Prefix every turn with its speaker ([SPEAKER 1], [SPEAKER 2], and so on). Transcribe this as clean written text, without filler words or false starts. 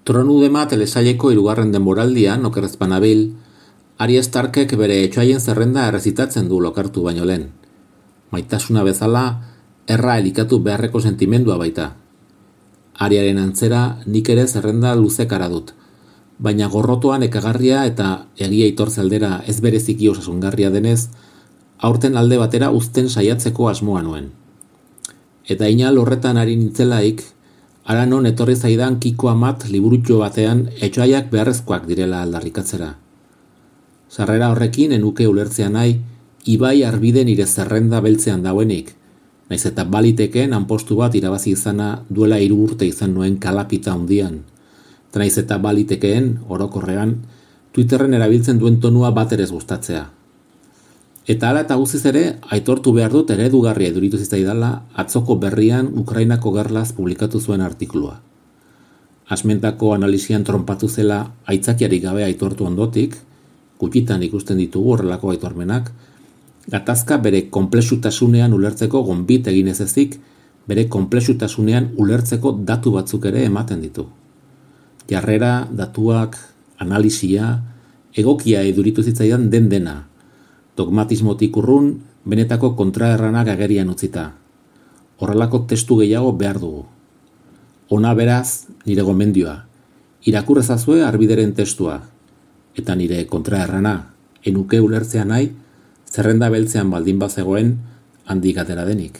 [SPEAKER 1] Tronudema telesaileko 3. denboraldian, okerrez banabil, Arya Starkek bere etxoaien zerrenda errezitatzen du lokartu baino lehen. Maitasuna bezala, erra elikatu beharreko sentimendua baita. Aryaren antzera nik ere zerrenda luzekara dut, baina gorrotoan ekagarria eta egia itortze aldera ez bereziki osasungarria denez, aurten alde batera uzten saiatzeko asmoa nuen. Eta inal horretan ari nintzelaik, ara non etorri zaidan Kiko Amat liburutxo batean etxoaiak beharrezkoak direla aldarrikatzera. Sarrera horrekin enuke ulertzea nahi, ibai arbide nire zerrenda beltzean dauenik, naiz eta baliteken hanpostu bat irabazi izana duela 3 urte izan nuen kalapita hundian, eta naiz eta balitekeen, orokorrean, Twitterren erabiltzen duen tonua bat ere ez gustatzea. Eta hala eta guztiz ere, aitortu behar dut eredugarria iduritu zitzaidala atzoko berrian Ukrainako gerlaz publikatu zuen artikulua. Asmentako analisian tronpatu zela aitzakiarik gabe aitortu ondotik, gutxitan ikusten ditugu horrelako aitormenak, gatazka bere konplexutasunean ulertzeko gonbit egin ez ezik, bere konplexutasunean ulertzeko datu batzuk ere ematen ditu. Jarrera, datuak, analisia, egokia iduritu zitzaidan dena, dogmatismotik urrun, benetako kontraerranak agerian utzita. Horrelako testu gehiago behar dugu. Ona beraz, nire gomendioa, irakur ezazue arbideren testua, eta nire kontraerrana, enuke ulertzea nahi, zerrenda beltzean baldin bazegoen handik atera denik.